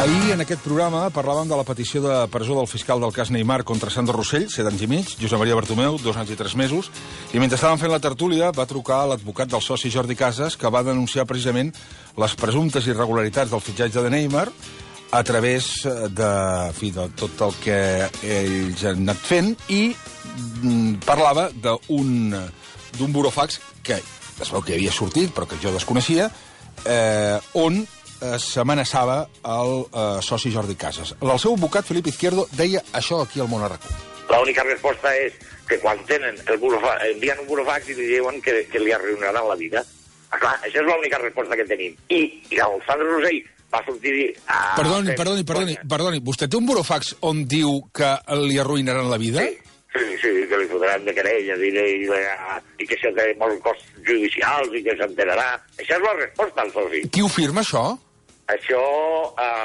Ahir, en aquest programa, parlàvem de la petició de presó del fiscal del cas Neymar contra Sandro Rossell, 7 anys i mig, Josep Maria Bartomeu, 2 anys i 3 mesos, i mentre estàvem fent la tertúlia va trucar a l'advocat del soci Jordi Casas, que va denunciar precisament les presumptes irregularitats del fitxatge de Neymar a través de tot el que ells han anat fent, i parlava d'un burofax que es veu que havia sortit, però que jo desconeixia, on s'amenaçava el soci Jordi Casas. El seu advocat, Felip Izquierdo, deia això aquí al Món Arracó. La única resposta és que quan tenen envien un burofax i li diuen que li arruïnaran la vida. Clar, això és l'única resposta que tenim. I el Sandro Rossell va sortir... Perdoni, vostè té un burofax on diu que li arruïnaran la vida? Sí, que li fotran de querelles i que té molts costs judicials i que s'enterarà. Això és la resposta al soci. Qui ho firma, això? Això,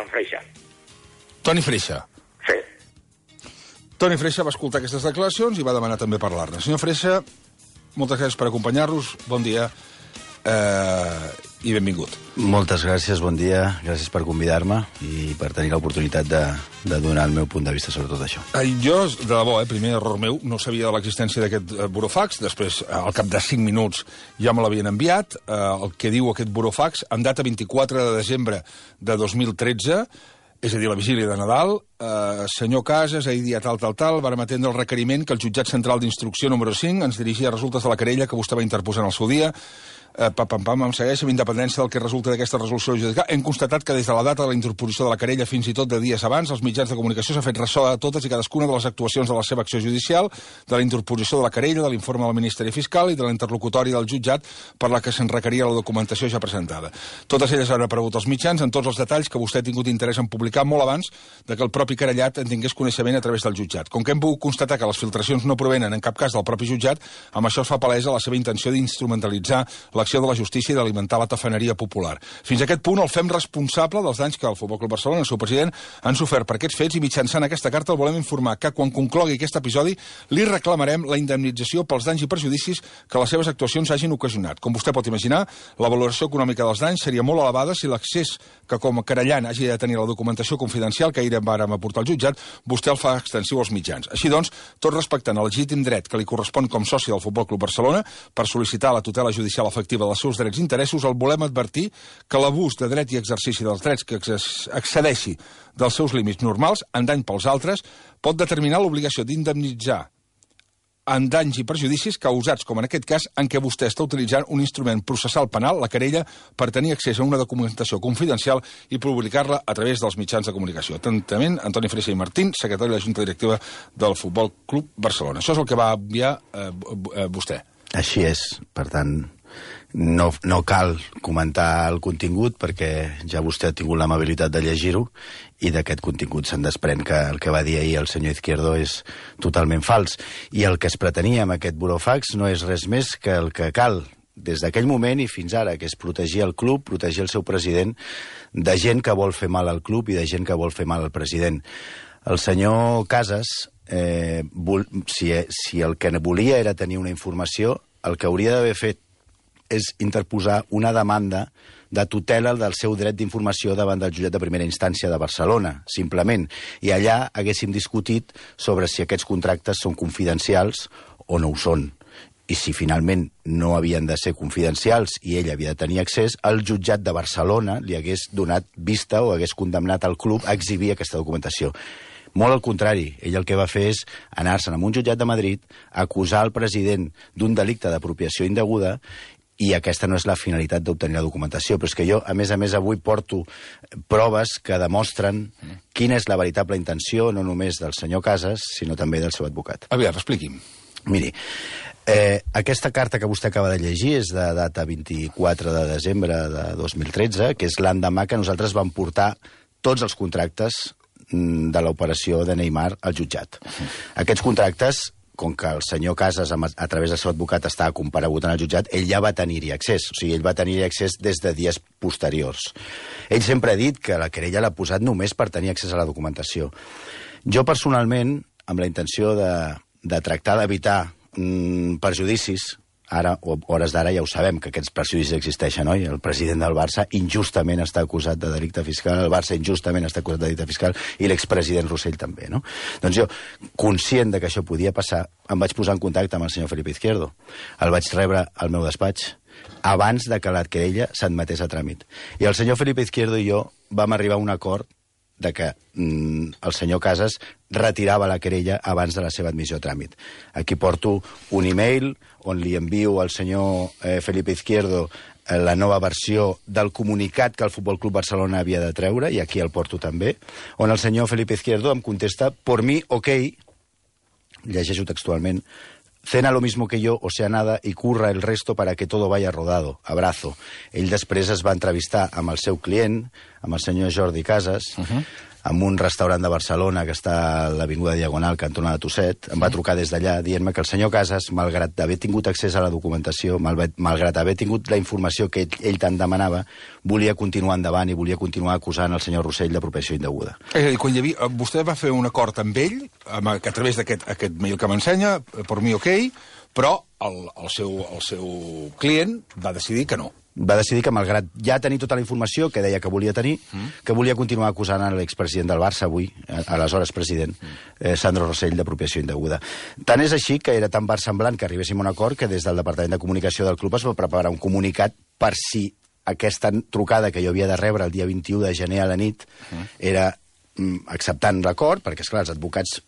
Freixa. Toni Freixa. Sí. Toni Freixa va escoltar aquestes declaracions i va demanar també parlar-ne. Senyor Freixa, moltes gràcies per acompanyar-nos. Bon dia i benvingut. Moltes gràcies, bon dia. Gràcies per convidar-me i per tenir l'oportunitat de donar el meu punt de vista sobre tot això. Jo, de debò, primer error meu, no sabia de l'existència d'aquest burofax. Després, al cap de 5 minuts, ja me l'havien enviat. El que diu aquest burofax, en data 24 de desembre de 2013, és a dir, la vigília de Nadal, senyor Casas, ahir dia tal, vàrem atendre el requeriment que el jutjat central d'instrucció número 5 ens dirigia a resultes de la querella que vostè va interposar en el seu dia. Em segueix, amb independència del que resulta d'aquesta resolució judicial. Hem constatat que des de la data de la interposició de la querella fins i tot de dies abans, els mitjans de comunicació s'ha fet ressò de totes i cadascuna de les actuacions de la seva acció judicial, de la interposició de la querella, de l'informe del Ministeri Fiscal i de la interlocutòria del jutjat per la que se'n requeria la documentació ja presentada. Totes elles han aparegut als mitjans en tots els detalls que vostè ha tingut interès en publicar molt abans de que el propi querellat en tingués coneixement a través del jutjat. Com que hem pogut constatar que les filtracions no provenen en cap cas del propi jutjat, amb això es fa palesa la seva intenció d'instrumentalitzar l'acció de la justícia i d'alimentar la tafaneria popular. Fins a aquest punt el fem responsable dels danys que el Futbol Club Barcelona i el seu president han sofert per aquests fets i mitjançant aquesta carta el volem informar que quan conclogui aquest episodi li reclamarem la indemnització pels danys i perjudicis que les seves actuacions hagin ocasionat. Com vostè pot imaginar, la valoració econòmica dels danys seria molt elevada si l'accés que com a querellant hagi de tenir la documentació confidencial que ahir vàrem aportar al jutjat, vostè el fa extensiu als mitjans. Així doncs, tot respectant el legítim dret que li correspon com soci del Futbol Club Barcelona per sol·licitar la tutela judicial efectiva dels seus drets i interessos, el volem advertir que l'abús de dret i exercici dels drets que excedeixi dels seus límits normals en dany pels altres pot determinar l'obligació d'indemnitzar en danys i perjudicis causats, com en aquest cas, en què vostè està utilitzant un instrument processal penal, la querella, per tenir accés a una documentació confidencial i publicar-la a través dels mitjans de comunicació. Atentament, Antoni Freixa i Martín, secretari de la Junta Directiva del Futbol Club Barcelona. Això és el que va enviar vostè. Així és, per tant, no cal comentar el contingut perquè ja vostè ha tingut l'amabilitat de llegir-ho i d'aquest contingut se'n desprèn que el que va dir ahir el senyor Izquierdo és totalment fals. I el que es pretenia amb aquest burofax no és res més que el que cal des d'aquell moment i fins ara, que és protegir el club, protegir el seu president de gent que vol fer mal al club i de gent que vol fer mal al president. El senyor Casas, si el que volia era tenir una informació, el que hauria d'haver fet és interposar una demanda de tutela del seu dret d'informació davant del jutjat de primera instància de Barcelona, simplement. I allà haguéssim discutit sobre si aquests contractes són confidencials o no ho són. I si finalment no havien de ser confidencials i ell havia de tenir accés, el jutjat de Barcelona li hagués donat vista o hagués condemnat el club a exhibir aquesta documentació. Molt al contrari, ell el que va fer és anar-se'n a un jutjat de Madrid, acusar el president d'un delicte d'apropiació indeguda i aquesta no és la finalitat d'obtenir la documentació. Però és que jo, a més, avui porto proves que demostren quina és la veritable intenció, no només del senyor Casas, sinó també del seu advocat. Aviam, expliqui'm. Miri, aquesta carta que vostè acaba de llegir és de data 24 de desembre de 2013, que és l'endemà que nosaltres vam portar tots els contractes de l'operació de Neymar al jutjat. Aquests contractes, com que el senyor Casas, a través del seu advocat, estava comparegut en el jutjat, ell ja va tenir-hi accés. O sigui, ell va tenir-hi accés des de dies posteriors. Ell sempre ha dit que la querella l'ha posat només per tenir accés a la documentació. Jo, personalment, amb la intenció de tractar d'evitar perjudicis ara, o hores d'ara, ja ho sabem, que aquests perjudicis existeixen, oi? El president del Barça injustament està acusat de delicte fiscal, el Barça injustament està acusat de delicte fiscal, i l'expresident Rossell també, no? Doncs jo, conscient de que això podia passar, em vaig posar en contacte amb el senyor Felipe Izquierdo. El vaig rebre al meu despatx abans de que la querella s'admetés a tràmit. I el senyor Felipe Izquierdo i jo vam arribar a un acord de que el senyor Casas retirava la querella abans de la seva admissió a tràmit. Aquí porto un e-mail on li envio al senyor Felipe Izquierdo la nova versió del comunicat que el Futbol Club Barcelona havia de treure, i aquí el porto també, on el senyor Felipe Izquierdo em contesta: por mí, ok, llegeixo textualment, cena lo mismo que yo, o sea nada, y curra el resto para que todo vaya rodado. Abrazo. Ell després es va entrevistar amb el seu client, amb el senyor Jordi Casas, en un restaurant de Barcelona que està a l'Avinguda Diagonal, cantonada Tusset. Em va trucar des d'allà dient-me que el senyor Casas, malgrat haver tingut accés a la documentació, malgrat haver tingut la informació que ell tant demanava, volia continuar endavant i volia continuar acusant el senyor Rossell d'apropiació indeguda. És a dir, quan vostè va fer un acord amb ell, a través d'aquest mail que m'ensenya, per mi ok, però el seu client va decidir que no. Va decidir que, malgrat ja tenir tota la informació que deia que volia tenir, que volia continuar acusant l'expresident del Barça avui, aleshores president, Sandro Rossell, d'apropiació indeguda. Tant és així que era tan versemblant que arribéssim a un acord que des del Departament de Comunicació del club es va preparar un comunicat per si aquesta trucada que jo havia de rebre el dia 21 de gener a la nit era acceptant l'acord, perquè, esclar, els advocats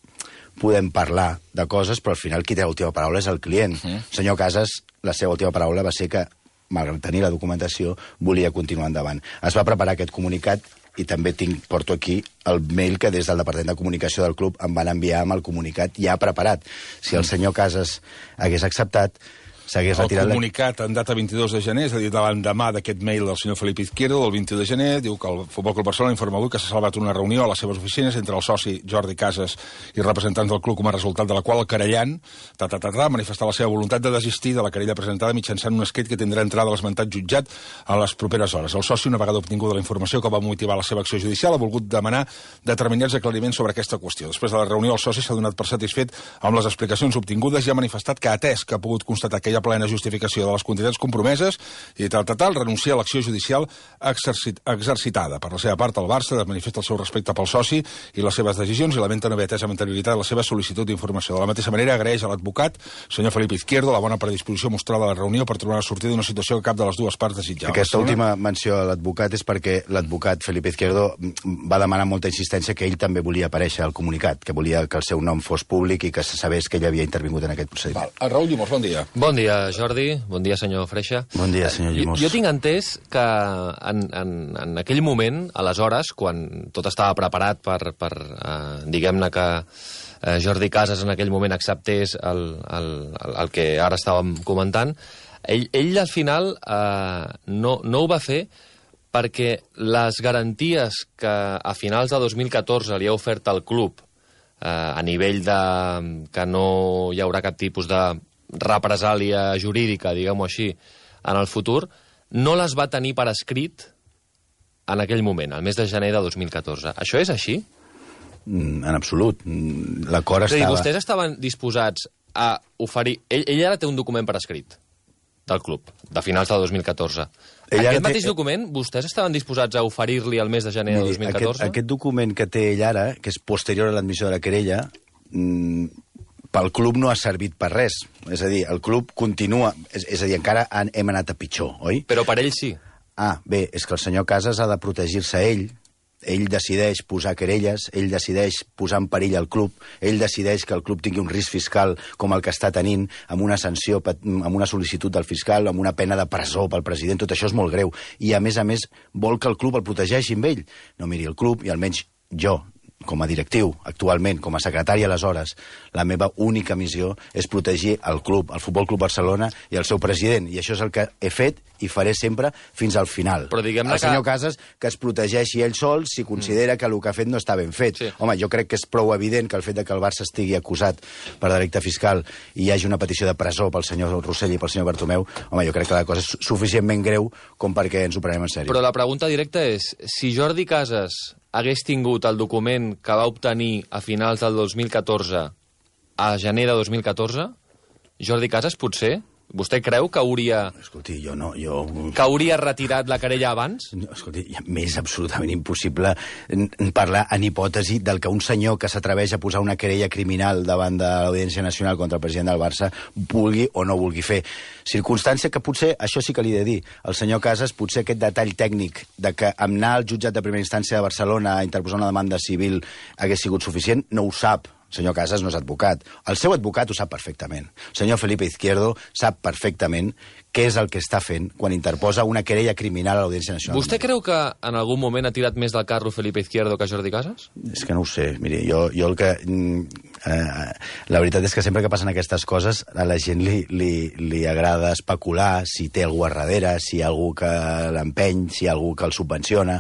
podem parlar de coses, però al final qui té l'última paraula és el client. El senyor Casas, la seva última paraula va ser que, malgrat tenir la documentació, volia continuar endavant. Es va preparar aquest comunicat i també porto aquí el mail que des del Departament de Comunicació del club em van enviar amb el comunicat ja preparat. Si el senyor Casas hagués acceptat, s'hagués retirat... El comunicat en data 22 de gener, és a dir, de l'endemà d'aquest mail del senyor Felipe Izquierdo, del 21 de gener, diu que el Futbol Club Barcelona informa avui que s'ha salvat una reunió a les seves oficines entre el soci Jordi Casas i representants del club, com a resultat de la qual el querellant ha manifestat la seva voluntat de desistir de la querella presentada mitjançant un escrit que tindrà entrada a l'esmentat jutjat a les properes hores. El soci, una vegada obtinguda la informació que va motivar la seva acció judicial, ha volgut demanar determinats aclariments sobre aquesta qüestió. Després de la reunió, el soci s'ha donat per satisfet amb les explicacions obtingudes i ha manifestat que, atès que ha pogut constatar que hi ha plena justificació de les quantitats compromeses i renuncia a l'acció judicial exercitada. Per la seva part, el Barça manifesta el seu respecte pel soci i les seves decisions i lamenta no haver atès amb anterioritat la seva sol·licitud d'informació. De la mateixa manera, agraeix a l'advocat, senyor Felipe Izquierdo, la bona predisposició mostrada a la reunió per trobar una sortida d'una situació que cap de les dues parts desitjava. Aquesta última menció a l'advocat és perquè l'advocat Felipe Izquierdo va demanar molta insistència que ell també volia aparèixer al comunicat, que volia que el seu nom fos públic i que se sabés que ell havia intervingut en aquest procediment. Raül Llimós, bon dia. Bon dia, Jordi. Bon dia, senyor Freixa. Bon dia, senyor Llimós. Jo tinc entès que en aquell moment, aleshores, quan tot estava preparat per diguem-ne que Jordi Casas en aquell moment acceptés el que ara estàvem comentant, ell al final no ho va fer perquè les garanties que a finals de 2014 li ha ofert al club a nivell de que no hi haurà cap tipus de represàlia jurídica, diguem-ho així, en el futur, no les va tenir per escrit en aquell moment, al mes de gener de 2014. Això és així? En absolut. L'acord estava... És a dir, vostès estaven disposats a oferir... Ell ara té un document per escrit del club, de finals de 2014. Aquest mateix document, vostès estaven disposats a oferir-li al mes de gener de 2014? Aquest document que té ell ara, que és posterior a l'admissió de la querella, pel club no ha servit per res. És a dir, el club continua... És a dir, encara hem anat a pitjor, oi? Però per ell sí. Bé, és que el senyor Casas ha de protegir-se ell. Ell decideix posar querelles, ell decideix posar en perill el club, ell decideix que el club tingui un risc fiscal com el que està tenint, amb una sanció, amb una sol·licitud del fiscal, amb una pena de presó pel president. Tot això és molt greu. I, a més, vol que el club el protegeixi amb ell. No miri el club, i almenys jo, com a directiu, actualment, com a secretari aleshores, la meva única missió és protegir el club, el Futbol Club Barcelona i el seu president. I això és el que he fet i faré sempre fins al final. Però diguem-ne el senyor Casas que es protegeixi ell sol si considera que el que ha fet no està ben fet. Sí. Home, jo crec que és prou evident que el fet de que el Barça estigui acusat per delicte fiscal i hi hagi una petició de presó pel senyor Rossell i pel senyor Bartomeu, home, jo crec que la cosa és suficientment greu com perquè ens ho prenem en sèrio. Però la pregunta directa és, si Jordi Casas hagués tingut el document que va obtenir a finals del 2014 a gener de 2014, Jordi Casas potser Vostè creu que hauria... Escolti, jo... Que hauria retirat la querella abans? No, escolti, m'és absolutament impossible parlar en hipòtesi del que un senyor que s'atreveix a posar una querella criminal davant de l'Audiència Nacional contra el president del Barça vulgui o no vulgui fer. Circumstància que potser, això sí que li he de dir, el senyor Casas, potser aquest detall tècnic de que anar al jutjat de primera instància de Barcelona a interposar una demanda civil hagués sigut suficient, no ho sap. El senyor Casas no és advocat. El seu advocat ho sap perfectament. El senyor Felipe Izquierdo sap perfectament què és el que està fent quan interposa una querella criminal a l'Audiència Nacional. Vostè creu que en algun moment ha tirat més del carro Felipe Izquierdo que Jordi Casas? És que no ho sé. Miri, jo el que... la veritat és que sempre que passen aquestes coses a la gent li agrada especular si té algú a darrere, si hi ha algú que l'empeny, si hi ha algú que el subvenciona.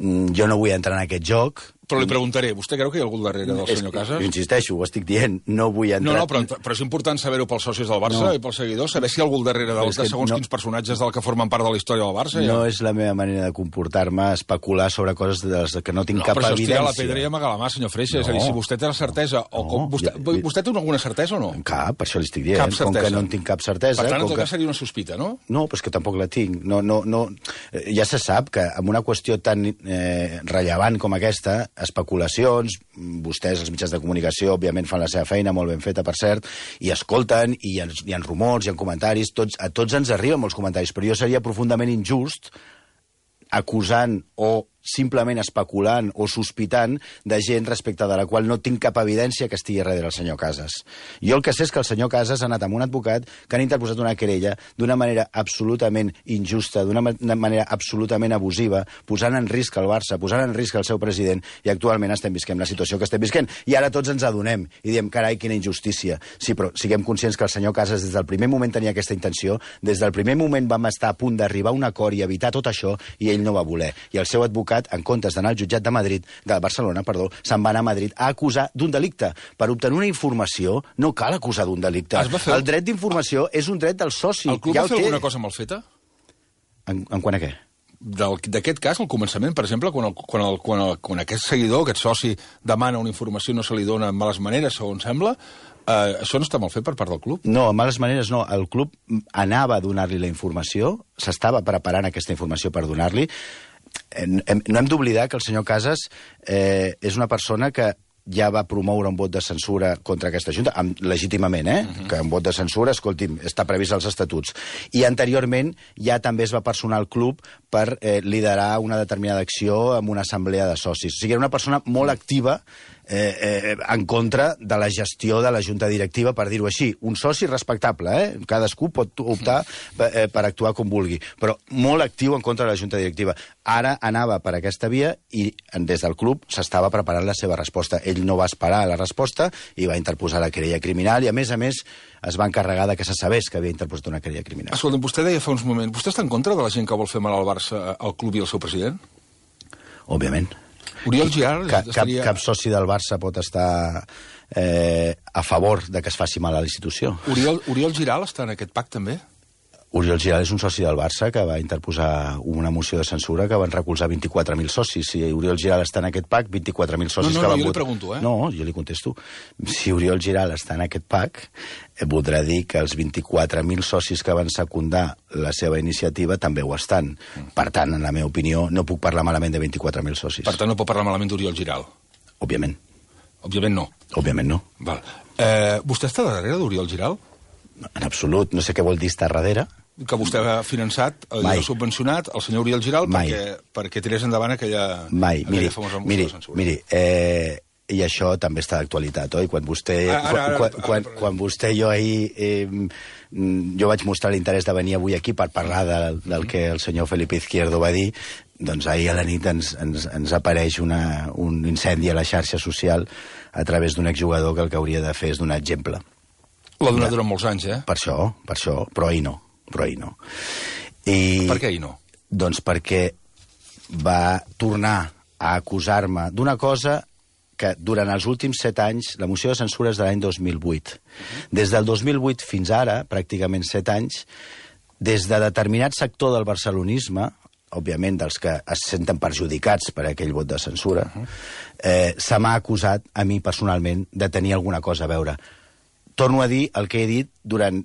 Jo no vull entrar en aquest joc. Però li preguntaré, vostè creu que hi ha algú darrere del senyor Casas? Jo insisteixo, ho estic dient, no vull entrar... No, però és important saber-ho pels socis del Barça i pels seguidors, saber si hi ha algú darrere de segons quins personatges del que formen part de la història del Barça. No és la meva manera de comportar-me, especular sobre coses de les que no tinc cap evidència. Però això és tirar la pedra i amagar la mà, senyor Freixa. És a dir, si vostè té la certesa... Vostè té alguna certesa o no? Cap, per això li estic dient. Com que no en tinc cap certesa... Per tant, en tot cas seria una sospita, no? No, però és que tampoc la tinc. Ja se sap que amb una qüestió tan rellevant com aquesta, especulacions, vostès, els mitjans de comunicació, òbviament fan la seva feina, molt ben feta, per cert, i escolten, i hi ha rumors, hi ha comentaris, a tots ens arriben molts comentaris, però jo seria profundament injust acusant o simplement especulant o sospitant de gent respecte de la qual no tinc cap evidència que estigui darrere el senyor Casas. Jo el que sé és que el senyor Casas ha anat amb un advocat que han interposat una querella d'una manera absolutament injusta, d'una manera absolutament abusiva, posant en risc el Barça, posant en risc el seu president, i actualment estem visquent la situació que estem visquent. I ara tots ens adonem i diem, carai, quina injustícia. Sí, però siguem conscients que el senyor Casas des del primer moment tenia aquesta intenció, des del primer moment vam estar a punt d'arribar a un acord i evitar tot això, i ell no va voler. I el seu advocat, en comptes d'anar al jutjat de Barcelona, se'n va anar a Madrid a acusar d'un delicte. Per obtenir una informació no cal acusar d'un delicte. El dret d'informació és un dret del soci. El club va fer alguna cosa mal feta? En quant a què? D'aquest cas, al començament, per exemple, quan aquest seguidor, aquest soci, demana una informació i no se li dona en males maneres, segons sembla, això no està mal fet per part del club? No, en males maneres no. El club anava a donar-li la informació, s'estava preparant aquesta informació per donar-li. No hem d'oblidar que el senyor Casas és una persona que ja va promoure un vot de censura contra aquesta Junta, legítimament, que un vot de censura, escolti'm, està previst als estatuts. I anteriorment ja també es va personar al club per liderar una determinada acció amb una assemblea de socis. O sigui, era una persona molt activa en contra de la gestió de la Junta Directiva, per dir-ho així. Un soci respectable, cadascú pot optar per actuar com vulgui, però molt actiu en contra de la Junta Directiva. Ara anava per aquesta via i des del club s'estava preparant la seva resposta. Ell no va esperar la resposta i va interposar la querella criminal i, a més, es va encarregar que se sabés que havia interposat una querella criminal. Escolta, vostè deia fa uns moments, vostè està en contra de la gent que vol fer mal al Barça, al club i al seu president? Òbviament. Oriol Giral... Cap soci del Barça pot estar a favor de que es faci mal a la institució. Oriol Giral està en aquest pacte, també? Oriol Giral és un soci del Barça que va interposar una moció de censura que van recolzar 24.000 socis. Si Oriol Giral està en aquest PAC, 24.000 socis que van votar... No, jo li pregunto, No, jo li contesto. Si Oriol Giral està en aquest PAC, voldrà dir que els 24.000 socis que van secundar la seva iniciativa també ho estan. Per tant, en la meva opinió, no puc parlar malament de 24.000 socis. Per tant, no pot parlar malament d'Oriol Giral? Òbviament. Òbviament no? Òbviament no. Val. Vostè està darrere d'Oriol Giral? En absolut. No sé què vol dir estar darrere. Que vostè ha finançat, ha subvencionat el senyor Oriol Giral perquè tirés endavant aquella famosa moció de censura. Miri, i això també està d'actualitat, oi? Quan vostè i jo ahir... Jo vaig mostrar l'interès de venir avui aquí per parlar del que el senyor Felipe Izquierdo va dir, doncs ahir a la nit ens apareix un incendi a la xarxa social a través d'un exjugador que el que hauria de fer és donar exemple. L'ha donat durant molts anys, Per això, però ahir no. Per què ahir no? Doncs perquè va tornar a acusar-me d'una cosa que durant els últims 7 anys, la moció de censura és de l'any 2008. Des del 2008 fins ara, pràcticament 7 anys, des de determinat sector del barcelonisme, òbviament dels que es senten perjudicats per aquell vot de censura, se m'ha acusat a mi personalment de tenir alguna cosa a veure. Torno a dir el que he dit durant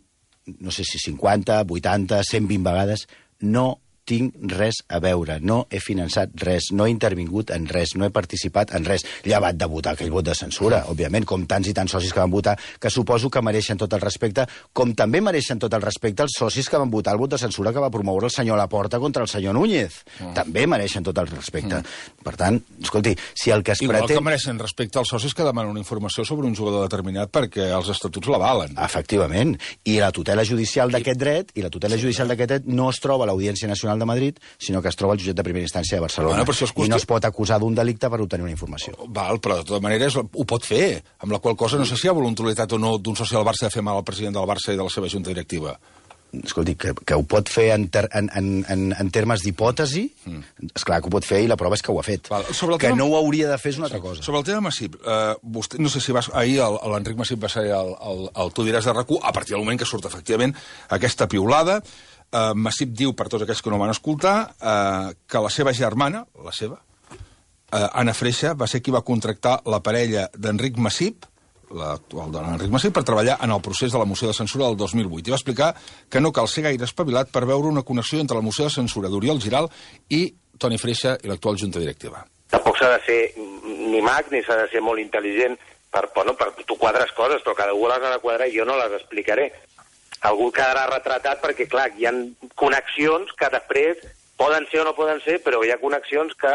no sé si 50, 80, 120 vegades, no tinc res a veure, no he finançat res, no he intervingut en res, no he participat en res, llevat de votar aquell vot de censura, òbviament, com tants i tants socis que van votar, que suposo que mereixen tot el respecte, com també mereixen tot el respecte els socis que van votar el vot de censura que va promoure el senyor Laporta contra el senyor Núñez. També mereixen tot el respecte. Per tant, escolti, si el que es Igual pretén... que mereixen respecte als socis que demanen una informació sobre un jugador determinat perquè els estatuts l'avalen. Efectivament. I la tutela judicial d'aquest dret, no es troba a l'Audiència Nacional de Madrid, sinó que es troba al jutjat de primera instància de Barcelona. I no es pot acusar d'un delicte per obtenir una informació. Val, però de totes maneres ho pot fer, amb la qual cosa no sé si hi ha voluntarietat o no d'un soci del Barça de fer mal al president del Barça i de la seva junta directiva. Escolti, que ho pot fer en termes d'hipòtesi, esclar que ho pot fer i la prova és que ho ha fet. Que no ho hauria de fer és una altra cosa. Sobre el tema Masip, vostè, no sé si ahir l'Enric Masip va ser el Tu diràs de RAC1, a partir del moment que surt efectivament aquesta piulada. Masip diu, per tots aquells que no van escoltar, que la seva germana, Anna Freixa, va ser qui va contractar la parella d'Enric Masip, l'actual dona d'Enric Masip, per treballar en el procés de la moció de censura del 2008. I va explicar que no cal ser gaire espavilat per veure una connexió entre la moció de censura d'Oriol Giral i Toni Freixa i l'actual junta directiva. Tampoc s'ha de ser ni mag ni s'ha de ser molt intel·ligent per tu quadres coses, però cada un les ha de quadrar i jo no les explicaré. Algú quedarà retratat perquè, clar, hi ha connexions que després poden ser o no poden ser, però hi ha connexions que,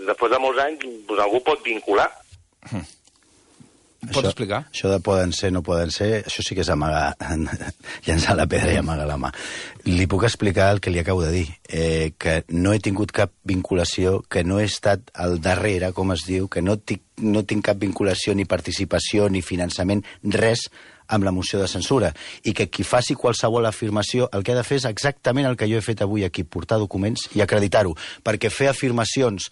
després de molts anys, algú pot vincular. Pots explicar? Això de poden ser, no poden ser, això sí que és amagar, llançar la pedra i amagar la mà. Li puc explicar el que li acabo de dir, que no he tingut cap vinculació, que no he estat al darrere, com es diu, que no tinc cap vinculació, ni participació, ni finançament, res amb la moció de censura, i que qui faci qualsevol afirmació el que ha de fer és exactament el que jo he fet avui aquí, portar documents i acreditar-ho, perquè fer afirmacions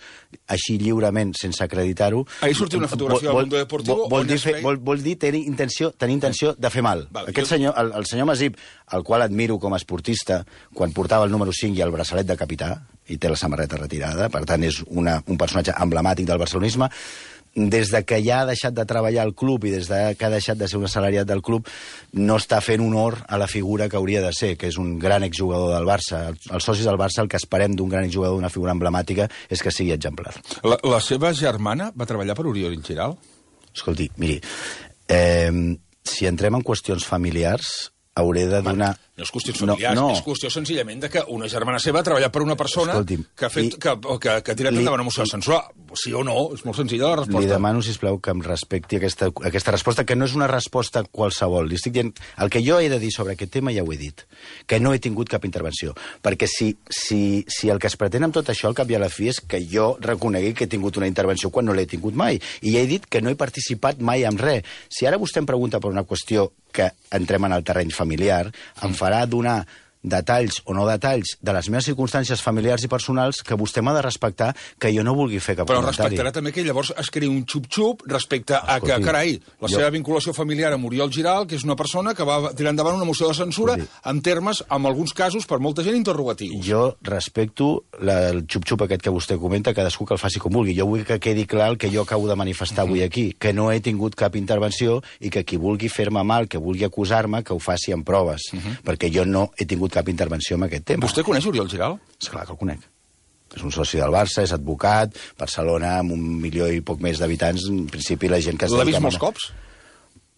així lliurement sense acreditar-ho... Ahir sortia una fotografia del Mundo Deportivo... Vol dir tenir intenció de fer mal. Aquest senyor, el senyor Masip, el qual admiro com a esportista, quan portava el número 5 i el braçalet de capità, i té la samarreta retirada, per tant és un personatge emblemàtic del barcelonisme, des de que ja ha deixat de treballar al club i des de que ha deixat de ser un assalariat del club, no està fent honor a la figura que hauria de ser, que és un gran exjugador del Barça. Els socis del Barça, el que esperem d'un gran exjugador, d'una figura emblemàtica, és que sigui exemplar. La seva germana va treballar per Oriol Giral? Escolti, miri, si entrem en qüestions familiars, hauré de donar... No és qüestions familiars, és qüestió senzillament de que una germana seva ha treballat per una persona que ha tirat endavant una moció de censura. Sí o no, és molt senzilla la resposta. Li demano, sisplau, que em respecti aquesta resposta, que no és una resposta qualsevol. Li estic dient... El que jo he de dir sobre aquest tema ja ho he dit, que no he tingut cap intervenció. Perquè si el que es pretén amb tot això, al cap i a la fi, és que jo reconegui que he tingut una intervenció quan no l'he tingut mai. I ja he dit que no he participat mai en res. Si ara vostè em pregunta per una qüestió que entrem en el terreny familiar, em farà donar detalls o no detalls de les meves circumstàncies familiars i personals que vostè m'ha de respectar, que jo no vulgui fer cap comentari. Però respectarà també que llavors es creï un xup-xup respecte a que, carai, seva vinculació familiar amb Oriol Giral, que és una persona que va tirar endavant una moció de censura en termes, en alguns casos, per molta gent, interrogatius. Jo respecto el xup-xup aquest que vostè comenta, cadascú que el faci com vulgui. Jo vull que quedi clar el que jo acabo de manifestar avui aquí, que no he tingut cap intervenció i que qui vulgui fer-me mal, que vulgui acusar-me, que ho faci amb proves, perquè jo no he tingut cap intervenció en aquest tema. Vostè coneix Oriol Giral? Esclar que el conec. És un soci del Barça, és advocat, Barcelona, amb 1 milió i poc més d'habitants, en principi la gent que... L'ha vist molts cops?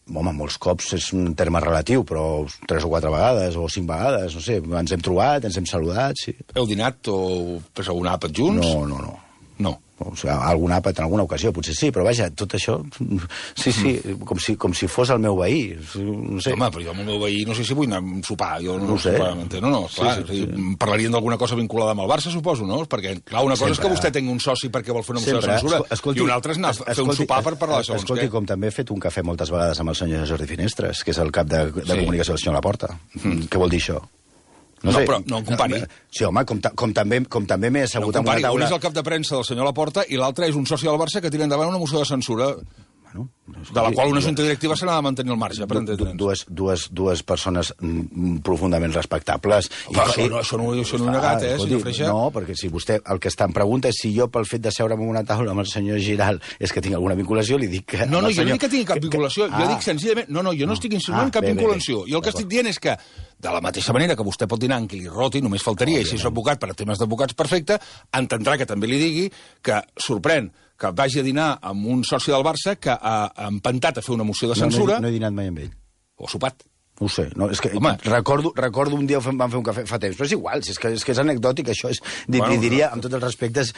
Home, molts cops és un terme relatiu, però 3 o 4 vegades, o 5 vegades, no sé, ens hem trobat, ens hem saludat, sí. Heu dinat o fes algun àpat junts? No. O sigui, algun àpat en alguna ocasió, potser sí, però vaja, tot això... Sí, com si fos el meu veí. No sé. Home, però jo amb el meu veí no sé si vull anar a sopar. Jo no ho sé. No, clar, parlarien d'alguna cosa vinculada amb el Barça, suposo, no? Perquè, clar, una cosa és que vostè tingui un soci perquè vol fer una moció de censura, i una altra és anar a fer un sopar per parlar de segons què. Escolti, com també he fet un cafè moltes vegades amb el senyor Jordi Finestres, que és el cap de comunicació del senyor Laporta. Què vol dir això? No, però no en compari. Sí, home, com també m'he assegut amb una taula... Un és el cap de premsa del senyor Laporta i l'altre és un soci del Barça que tira endavant una moció de censura. Bueno, de la qual una junta directiva se n'ha de mantenir al marge, per entendre'ns. Dues persones profundament respectables. Això no ho he negat, senyor Freixa? No, perquè si vostè el que està en pregunta és si jo, pel fet de seure'm en una taula amb el senyor Giral, és que tinc alguna vinculació, li dic que... No, jo no dic que tingui cap vinculació, jo dic senzillament... No, jo no estic insinuant cap vinculació. Jo el que estic dient és que, de la mateixa manera que vostè pot dinar amb qui li roti, només faltaria, i si és advocat per a temes d'advocats, perfecte, entendrà que també li digui que sorprèn que vagi a dinar amb un soci del Barça que ha empantat a fer una moció de censura... No he dinat mai amb ell. O sopat. No ho sé, no, és que recordo un dia vam fer un cafè fa temps, però és igual, és que és anecdòtic, això és, li diria, amb tots els respectes,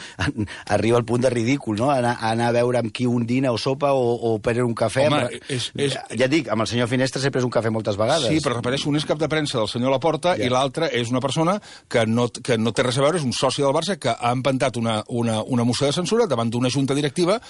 arriba al punt de ridícul, no? Anar a veure amb qui un dina o sopa o prendre un cafè. Ja dic, amb el senyor Finestres he pres un cafè moltes vegades. Sí, però repeteixo, un és cap de premsa del senyor Laporta i l'altre és una persona que no té res a veure, és un soci del Barça que ha empantat una moció de censura davant d'una junta directiva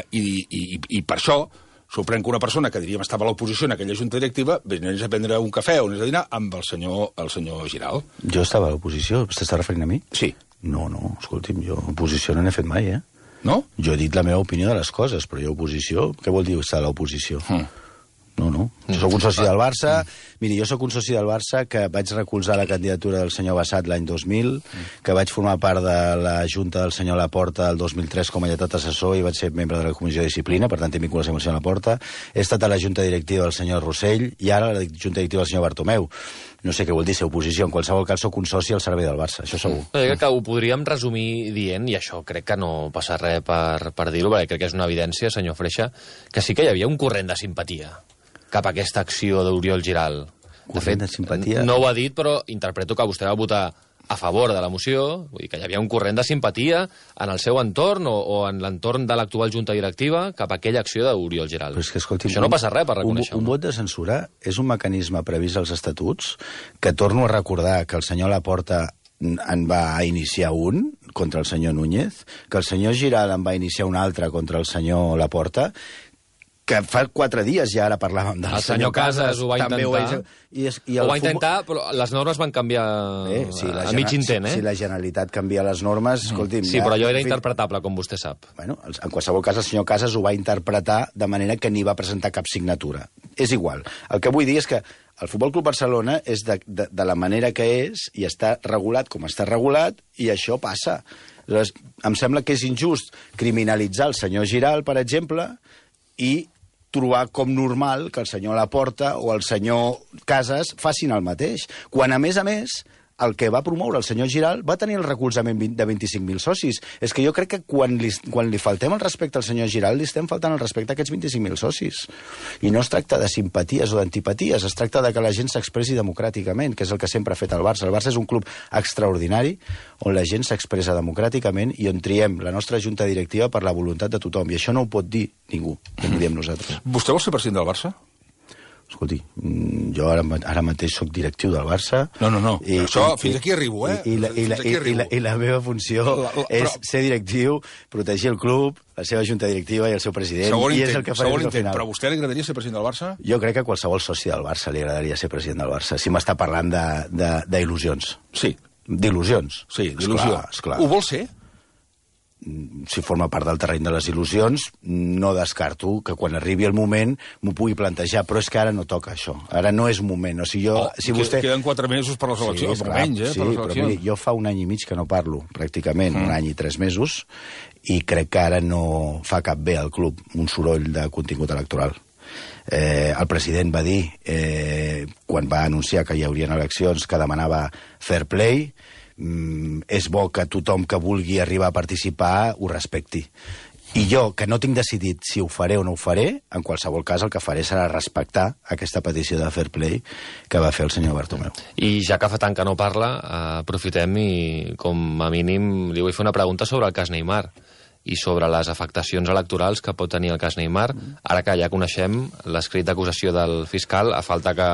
i per això sorprèn que una persona que diríem estava a l'oposició en aquella junta directiva venés a prendre un cafè o anés a dinar amb el senyor Giral. Jo estava a l'oposició? T'està referint a mi? Sí. No, escolti'm, jo oposició no n'he fet mai, No? Jo he dit la meva opinió de les coses, però jo oposició... Què vol dir estar a l'oposició? No. Jo soc un soci del Barça. Miri, jo soc un soci del Barça que vaig recolzar la candidatura del senyor Bassat l'any 2000, que vaig formar part de la junta del senyor Laporta el 2003 com a lletat assessor i vaig ser membre de la comissió de disciplina, per tant tinc vinculació amb el senyor Laporta. He estat a la junta directiva del senyor Rossell i ara a la junta directiva del senyor Bartomeu. No sé què vol dir ser oposició. En qualsevol cas, soc un soci al servei del Barça, això segur. No, que ho podríem resumir dient, i això crec que no passa res per dir-ho, perquè crec que és una evidència, senyor Freixa, que sí que hi havia un corrent de simpatia cap a aquesta acció d'Oriol Giral. Corrent de simpatia? No ho ha dit, però interpreto que vostè va votar a favor de la moció, vull dir que hi havia un corrent de simpatia en el seu entorn o en l'entorn de l'actual junta directiva cap a aquella acció d'Oriol Giral. Però és que, escolti, això no passa res per reconèixer-ho. Un vot de censura és un mecanisme previst als estatuts que torno a recordar que el senyor Laporta en va iniciar un contra el senyor Núñez, que el senyor Giral en va iniciar un altre contra el senyor Laporta, que fa 4 dies ja ara parlàvem del senyor Casas ho va intentar. Ho va intentar, però les normes van canviar a mig intent, Si la Generalitat canvia les normes, escolti'm... Sí, però allò era interpretable, com vostè sap. Bueno, en qualsevol cas, el senyor Casas ho va interpretar de manera que ni va presentar cap signatura. És igual. El que vull dir és que el Futbol Club Barcelona és de la manera que és i està regulat com està regulat i això passa. Aleshores, em sembla que és injust criminalitzar el senyor Giral, per exemple, i trobar com normal que el senyor Laporta o el senyor Casas facin el mateix, quan, a més, el que va promoure el senyor Giral va tenir el recolzament de 25.000 socis. És que jo crec que quan li faltem el respecte al senyor Giral, li estem faltant el respecte a aquests 25.000 socis. I no es tracta de simpaties o d'antipaties, es tracta de que la gent s'expressi democràticament, que és el que sempre ha fet el Barça. El Barça és un club extraordinari on la gent s'expressa democràticament i on triem la nostra junta directiva per la voluntat de tothom. I això no ho pot dir ningú, que ho diem nosaltres. Vostè vol ser president del Barça? Escolti, jo ara mateix sóc directiu del Barça... No. Fins aquí arribo, I la meva funció és ser directiu, protegir el club, la seva junta directiva i el seu president, i és el que faré al final. Però a vostè li agradaria ser president del Barça? Jo crec que a qualsevol soci del Barça li agradaria ser president del Barça, si m'està parlant d'il·lusions. Sí. D'il·lusions. Sí, d'il·lusió. Esclar. Ho vol ser? Si forma part del terreny de les il·lusions, no descarto que quan arribi el moment m'ho pugui plantejar, però és que ara no toca això. Ara no és moment. O sigui, queden 4 mesos per les eleccions, per menys, per les eleccions. Però miri, jo fa 1 any i mig que no parlo, pràcticament, 1 any i 3 mesos, i crec que ara no fa cap bé al club un soroll de contingut electoral. El president va dir, quan va anunciar que hi haurien eleccions, que demanava fair play. És bo que tothom que vulgui arribar a participar ho respecti. I jo, que no tinc decidit si ho faré o no ho faré, en qualsevol cas el que faré serà respectar aquesta petició de fair play que va fer el senyor Bartomeu. I ja que fa tant que no parla, aprofitem i, com a mínim, li vull fer una pregunta sobre el cas Neymar i sobre les afectacions electorals que pot tenir el cas Neymar, ara que ja coneixem l'escrit d'acusació del fiscal, a falta que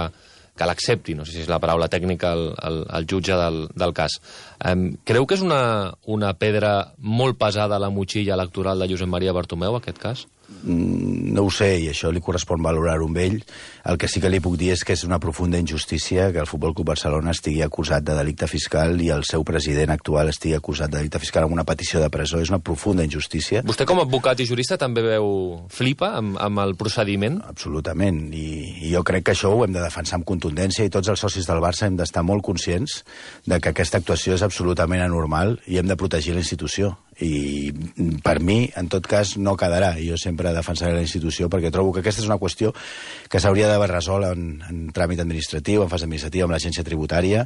l'accepti, no sé si és la paraula tècnica, el jutge del cas. Creu que és una pedra molt pesada a la motxilla electoral de Josep Maria Bartomeu, aquest cas? No ho sé, i això li correspon valorar-ho amb ell. El que sí que li puc dir és que és una profunda injustícia que el Futbol Club Barcelona estigui acusat de delicte fiscal i el seu president actual estigui acusat de delicte fiscal amb una petició de presó. És una profunda injustícia. Vostè, com a advocat i jurista, també flipa amb el procediment? Absolutament, i jo crec que això ho hem de defensar amb contundència, i tots els socis del Barça hem d'estar molt conscients de que aquesta actuació és absolutament anormal i hem de protegir la institució. I per mi, en tot cas, no quedarà. Jo sempre defensaré la institució perquè trobo que aquesta és una qüestió que s'hauria d'haver resolt en tràmit administratiu, en fase administrativa, amb l'agència tributària.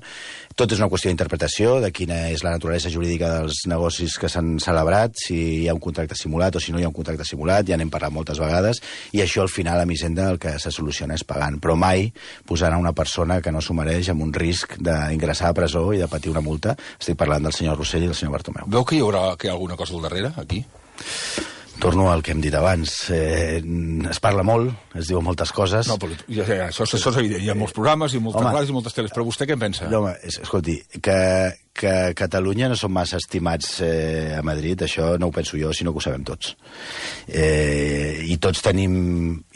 Tot és una qüestió d'interpretació de quina és la naturalesa jurídica dels negocis que s'han celebrat, si hi ha un contracte simulat o si no hi ha un contracte simulat, ja n'hem parlat moltes vegades, i això al final a Hisenda el que se soluciona és pagant, però mai posant a una persona que no s'ho mereix amb un risc d'ingressar a presó i de patir una multa. Estic parlant del senyor Rossell i del senyor Bartomeu. Veu que hi haurà alguna cosa al darrere, aquí? Torno al que hem dit abans. Es parla molt, es diuen moltes coses. No, però això és evident. Hi ha molts programes i moltes ràdios i moltes teles. Però vostè què en pensa? No, home, escolti, que Catalunya no són massa estimats a Madrid, això no ho penso jo, sinó que ho sabem tots. I tots tenim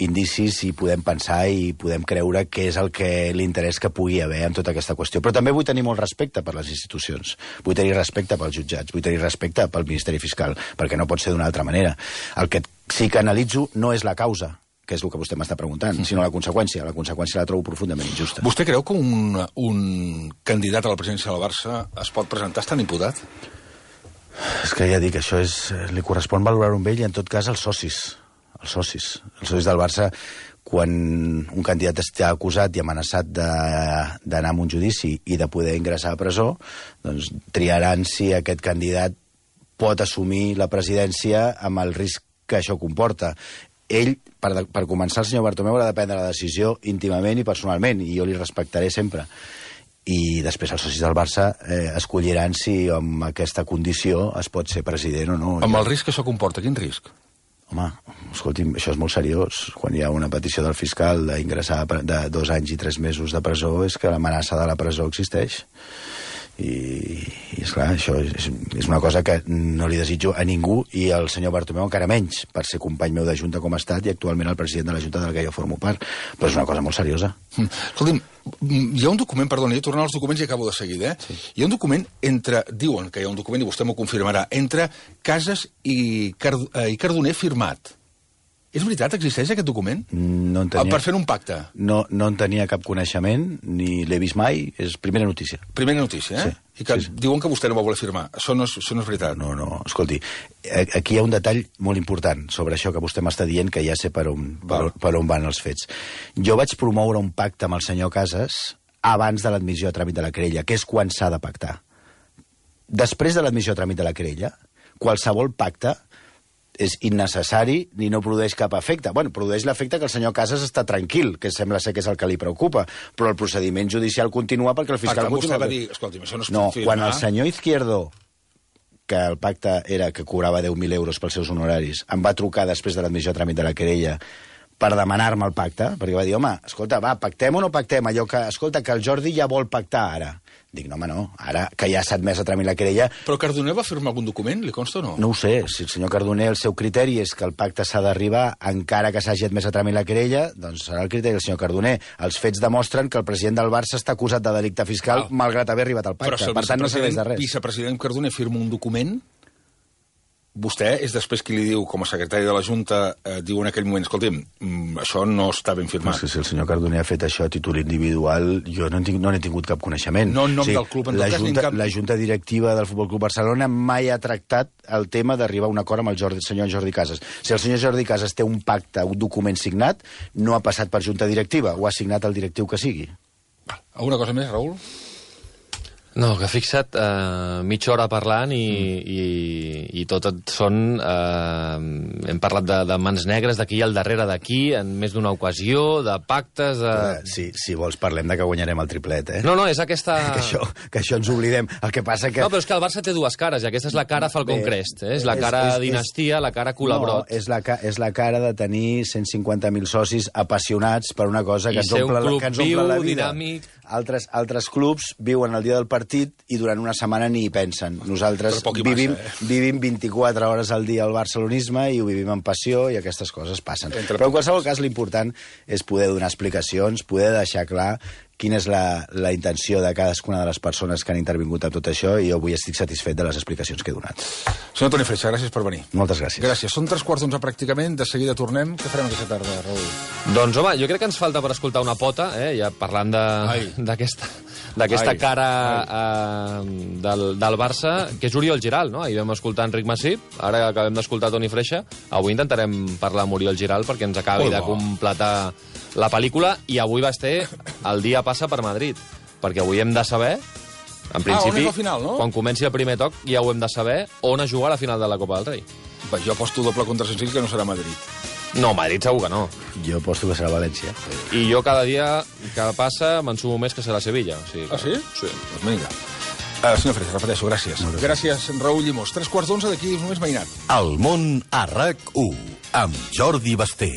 indicis i podem pensar i podem creure què és el que l'interès que pugui haver en tota aquesta qüestió. Però també vull tenir molt respecte per les institucions, vull tenir respecte pels jutjats, vull tenir respecte pel Ministeri Fiscal, perquè no pot ser d'una altra manera. El que sí que analitzo no és la causa, que és el que vostè m'està preguntant, sinó la conseqüència. La conseqüència la trobo profundament injusta. Vostè creu que un candidat a la presidència del Barça es pot presentar estant imputat? És que ja dic, això li correspon valorar-ho amb ell i en tot cas els socis. Els socis del Barça, quan un candidat està acusat i amenaçat d'anar a un judici i de poder ingressar a presó, doncs triaran si aquest candidat pot assumir la presidència amb el risc que això comporta. Ell, per començar, el senyor Bartomeu haurà de prendre la decisió íntimament i personalment, i jo li respectaré sempre. I després els socis del Barça escolliran si amb aquesta condició es pot ser president o no. Amb el risc que això comporta, quin risc? Home, escolti'm, això és molt seriós. Quan hi ha una petició del fiscal d'ingressar de 2 anys i 3 mesos de presó, és que l'amenaça de la presó existeix. I esclar, això és una cosa que no li desitjo a ningú, i el senyor Bartomeu encara menys, per ser company meu de Junta com ha estat i actualment el president de la Junta de la que jo formo part. Però és una cosa molt seriosa. Escolti'm, hi ha un document, perdoni, tornant als documents i acabo de seguida, Sí. Hi ha un document diuen que hi ha un document, i vostè m'ho confirmarà, entre Casas i Cardoner firmat. És veritat, existeix aquest document? No en tenia... Per fer un pacte? No en tenia cap coneixement, ni l'he vist mai, és primera notícia. Primera notícia, eh? Sí. I que diuen que vostè no va voler firmar. Això no és veritat. No, escolti, aquí hi ha un detall molt important sobre això que vostè m'està dient, que ja sé per on van els fets. Jo vaig promoure un pacte amb el senyor Casas abans de l'admissió a tràmit de la querella, que és quan s'ha de pactar. Després de l'admissió a tràmit de la querella, qualsevol pacte és innecessari ni no produeix cap efecte. Bueno, produeix l'efecte que el senyor Casas està tranquil, que sembla ser que és el que li preocupa, però el procediment judicial continua perquè el fiscal continua... Vostè va dir, escolti'm, això no es pot firmar... Quan el senyor Izquierdo, que el pacte era que cobrava 10.000 euros pels seus honoraris, em va trucar després de l'admissió a tràmit de la querella per demanar-me el pacte, perquè va dir, home, escolta, va, pactem o no pactem? Allò que, escolta, que el Jordi ja vol pactar ara. Dic, no, home, no, ara que ja s'ha admès a tràmit la querella... Però Cardoner va firmar algun document, li consta o no? No ho sé, si el senyor Cardoner el seu criteri és que el pacte s'ha d'arribar encara que s'hagi admès a tràmit la querella, doncs serà el criteri del senyor Cardoner. Els fets demostren que el president del Barça està acusat de delicte fiscal malgrat haver arribat al pacte. Però si per tant, no serveix de res. Vicepresident Cardoner firma un document, vostè és després qui li diu, com a secretari de la Junta, diu en aquell moment, escolti'm, això no està ben firmat. És que si el senyor Cardoner ha fet això a títol individual, jo no n'he tingut cap coneixement. No en nom del club, en tot cas, ni en cap... La Junta Directiva del Futbol Club Barcelona mai ha tractat el tema d'arribar a un acord amb el senyor Jordi Casas. Si el senyor Jordi Casas té un pacte, un document signat, no ha passat per Junta Directiva, ho ha signat el directiu que sigui. Alguna cosa més, Raül? No, que ha fixat mitja hora parlant i tot són... hem parlat de mans negres, d'aquí al darrere d'aquí, en més d'una ocasió, de pactes... Si vols parlem de que guanyarem el triplet, eh? No, és aquesta... que això ens oblidem. El que passa que... No, però és que el Barça té dues cares, i aquesta és la cara Falcon Crest, eh? És la cara dinastia, la cara colabrot. No, és la cara de tenir 150.000 socis apassionats per una cosa que ens omple la vida. Dinàmic... altres clubs viuen el dia del partit i durant una setmana ni hi pensen. Nosaltres vivim 24 hores al dia al barcelonisme i ho vivim amb passió i aquestes coses passen. Però en qualsevol cas l'important és poder donar explicacions, poder deixar clar quina és la intenció de cadascuna de les persones que han intervingut a tot això i jo avui estic satisfet de les explicacions que he donat. Senyor Toni Freixa, gràcies per venir. Moltes gràcies. Gràcies. Són 3:15 pràcticament, de seguida tornem. Què farem aquesta tarda, Raül? Doncs, home, jo crec que ens falta per escoltar una pota, ja parlant d'aquesta cara del Barça, que és Oriol Giral, no? Ahir vam escoltar Enric Massip, ara acabem d'escoltar Toni Freixa. Avui intentarem parlar amb Oriol Giral perquè ens acabi de completar la pel·lícula, i avui va ser el dia passa per Madrid, perquè avui hem de saber, en principi, final, no? Quan comenci el primer toc ja ho hem de saber, on es jugarà la final de la Copa del Rei. Jo aposto doble contra Sensill que no serà Madrid. No, Madrid segur que no. Jo aposto que serà València. I jo cada dia que passa m'ensumo més que serà Sevilla. O sigui que... Ah, sí? Sí. Doncs vinga. Senyor Freixa, repeteixo, gràcies. Gràcies, Raül Llimós. 3:15, d'aquí només mainat. El món a RAC1, amb Jordi Basté.